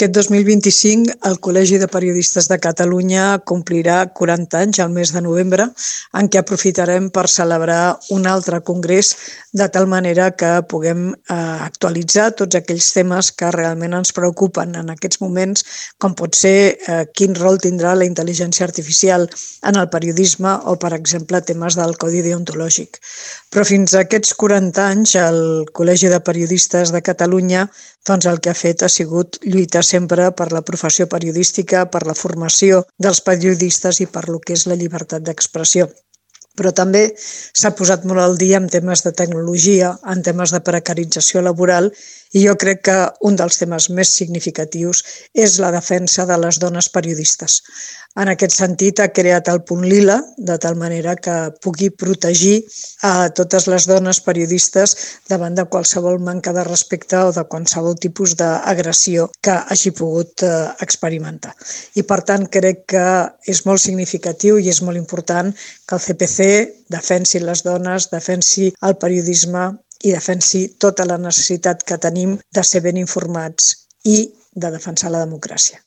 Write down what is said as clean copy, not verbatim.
Aquest 2025 el Col·legi de Periodistes de Catalunya complirà 40 anys al mes de novembre, en què aprofitarem per celebrar un altre congrés de tal manera que puguem actualitzar tots aquells temes que realment ens preocupen en aquests moments, com pot ser quin rol tindrà la intel·ligència artificial en el periodisme o, per exemple, temes del codi deontològic. Però fins a aquests 40 anys el Col·legi de Periodistes de Catalunya el que ha fet ha sigut lluitar sempre per la professió periodística, per la formació dels periodistes i per lo que és la llibertat d'expressió. Però també s'ha posat molt al dia en temes de tecnologia, en temes de precarització laboral, i jo crec que un dels temes més significatius és la defensa de les dones periodistes. En aquest sentit, ha creat el punt lila, de tal manera que pugui protegir a totes les dones periodistes davant de qualsevol manca de respecte o de qualsevol tipus d'agressió que hagi pogut experimentar. I, per tant, crec que és molt significatiu i és molt important que el CPC defensi les dones, defensi el periodisme i defensi tota la necessitat que tenim de ser ben informats i de defensar la democràcia.